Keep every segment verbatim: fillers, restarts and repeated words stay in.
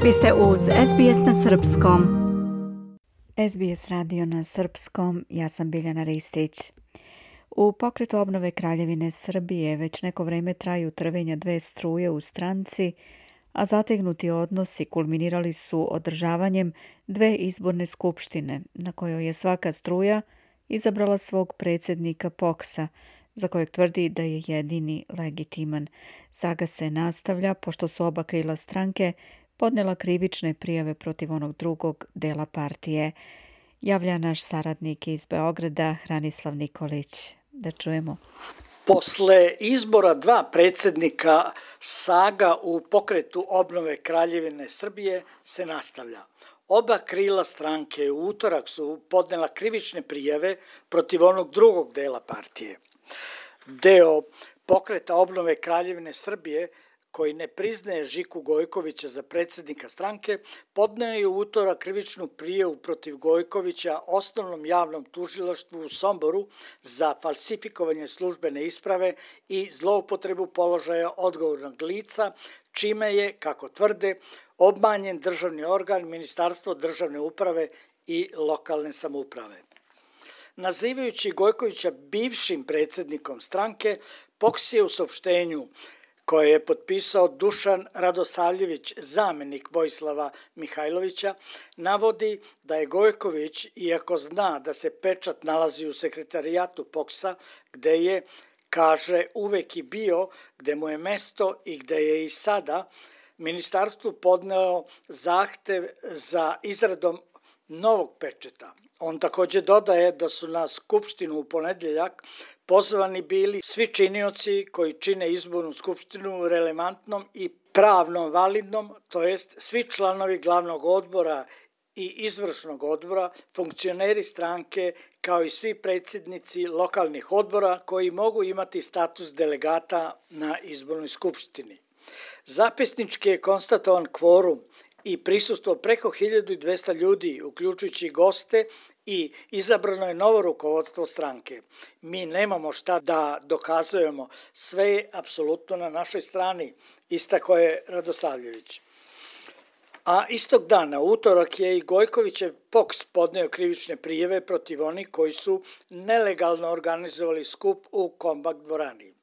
Vi ste uz S B S na srpskom. S B S radio na srpskom, ja sam Biljana Ristić. U pokretu obnove Kraljevine Srbije već neko vreme traju trvenja dve struje u stranci, a zategnuti odnosi kulminirali su održavanjem dve izborne skupštine, na kojoj je svaka struja izabrala svog predsjednika Poksa, za kojeg tvrdi da je jedini legitiman. Saga se nastavlja, pošto su oba krila stranke podnela krivične prijave protiv onog drugog dela partije. Javlja naš saradnik iz Beograda, Hranislav Nikolić. Da čujemo. Posle izbora dva predsjednika, saga u pokretu obnove Kraljevine Srbije se nastavlja. Oba krila stranke u utorak su podnela krivične prijave protiv onog drugog dela partije. Deo pokreta obnove Kraljevine Srbije, koji ne priznaje Žiku Gojkovića za predsjednika stranke, podneo je u utorak krivičnu prijavu protiv Gojkovića osnovnom javnom tužilaštvu u Somboru za falsifikovanje službene isprave i zloupotrebu položaja odgovornog lica, čime je, kako tvrde, obmanjen državni organ, Ministarstvo državne uprave i lokalne samouprave. Nazivajući Gojkovića bivšim predsjednikom stranke, Poks je u saopštenju koje je potpisao Dušan Radosavljević, zamenik Vojislava Mihajlovića, navodi da je Gojković, iako zna da se pečat nalazi u sekretarijatu Poksa, gde je, kaže, uvek i bio, gde mu je mesto i gde je i sada, ministarstvu podneo zahtev za izradom novog pečeta. On također dodaje da su na skupštinu u ponedeljak pozvani bili svi činioci koji čine izbornu skupštinu relevantnom i pravno validnom, to jest svi članovi glavnog odbora i izvršnog odbora, funkcioneri stranke, kao i svi predsjednici lokalnih odbora koji mogu imati status delegata na izbornoj skupštini. Zapisnički je konstatovan kvorum i prisustvo preko hiljadu dvesta ljudi, uključujući goste, i izabrano je novo rukovodstvo stranke. Mi nemamo šta da dokazujemo, sve je apsolutno na našoj strani, istako je Radosavljević. A istog dana, utorak, je i Gojkovićev Poks podneo krivične prijave protiv onih koji su nelegalno organizovali skup u Kombak dvorani.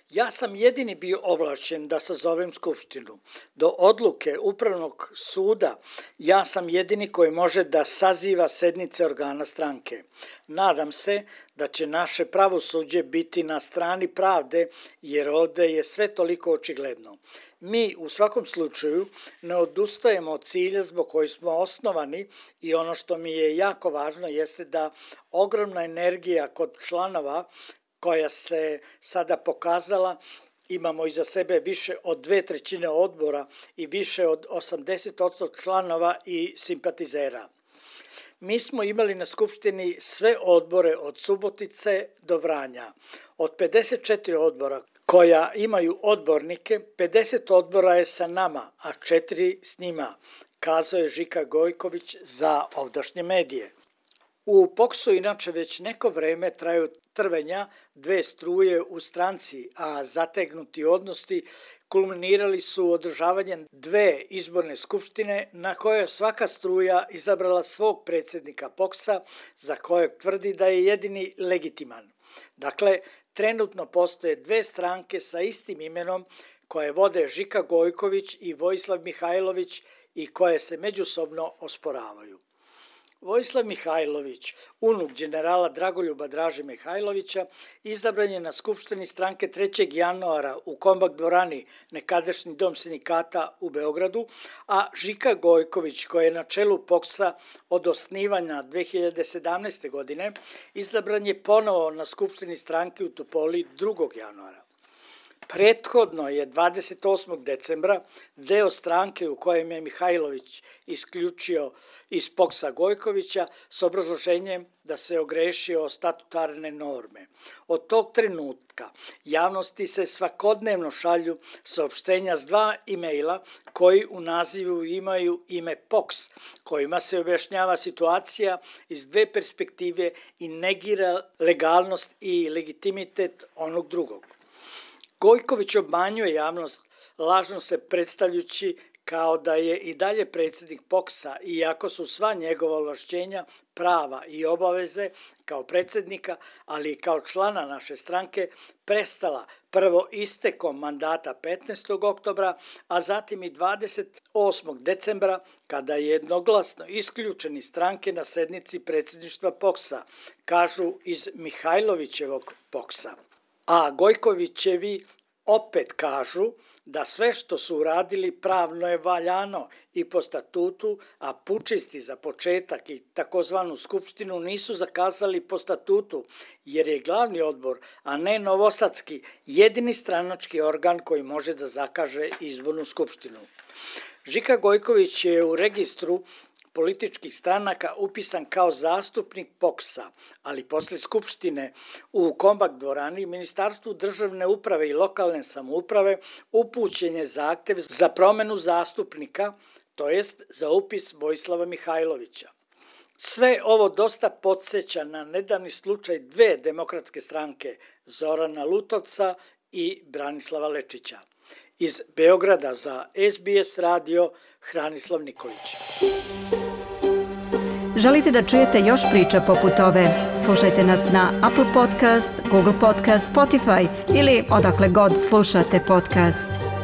Ja sam jedini bio ovlašćen da sazovem skupštinu. Do odluke Upravnog suda ja sam jedini koji može da saziva sednice organa stranke. Nadam se da će naše pravosuđe biti na strani pravde, jer ovde je sve toliko očigledno. Mi u svakom slučaju ne odustajemo od cilja zbog koji smo osnovani i ono što mi je jako važno jeste da ogromna energija kod članova koja se sada pokazala, imamo iza sebe više od dve trećine odbora i više od osamdeset posto članova i simpatizera. Mi smo imali na skupštini sve odbore od Subotice do Vranja. Od pedeset četiri odbora koja imaju odbornike, pedeset odbora je sa nama, a četiri s njima, kazao je Žika Gojković za ovdašnje medije. U Poksu inače već neko vreme traju trvenja dve struje u stranci, a zategnuti odnosi kulminirali su održavanjem dve izborne skupštine na kojoj je svaka struja izabrala svog predsjednika Poksa, za kojeg tvrdi da je jedini legitiman. Dakle, trenutno postoje dve stranke sa istim imenom koje vode Žika Gojković i Vojislav Mihajlović i koje se međusobno osporavaju. Vojislav Mihajlović, unuk generala Dragoljuba Draže Mihajlovića, izabran je na skupštini stranke trećeg januara u Kombak dvorani, nekadašnji dom sindikata u Beogradu, a Žika Gojković, koji je na čelu Poksa od osnivanja dve hiljade sedamnaeste. godine, izabran je ponovo na skupštini stranke u Topoli drugog januara. Prethodno je dvadeset osmog decembra deo stranke u kojem je Mihajlović isključio iz Poksa Gojkovića s obrazloženjem da se ogrešio o statutarne norme. Od tog trenutka javnosti se svakodnevno šalju saopštenja s dva e-maila koji u nazivu imaju ime Poks, kojima se objašnjava situacija iz dve perspektive i negira legalnost i legitimitet onog drugog. Gojković obmanjuje javnost, lažno se predstavljajući kao da je i dalje predsjednik P O K S-a, iako su sva njegova ovlašćenja, prava i obaveze kao predsjednika, ali i kao člana naše stranke, prestala prvo istekom mandata petnaestog oktobra, a zatim i dvadeset osmog decembra, kada je jednoglasno isključen iz stranke na sednici predsjedništva P O K S-a, kažu iz Mihajlovićevog P O K S-a. A Gojkovićevi opet kažu da sve što su uradili pravno je valjano i po statutu, a pučisti za početak i takozvanu skupštinu nisu zakazali po statutu, jer je glavni odbor, a ne novosadski, jedini stranački organ koji može da zakaže izbornu skupštinu. Žika Gojković je u registru političkih stranaka upisan kao zastupnik P O K S-a, ali posle skupštine u Kombak dvorani Ministarstvu državne uprave i lokalne samouprave upućen je zahtev za promenu zastupnika, to jest za upis Vojislava Mihajlovića. Sve ovo dosta podsjeća na nedavni slučaj dve demokratske stranke, Zorana Lutovca i Branislava Lečića. Iz Beograda za S B S radio, Hranislav Nikolić. Želite da čujete još priča poput ove? Slušajte nas na Apple Podcast, Google Podcast, Spotify ili odakle god slušate podcast.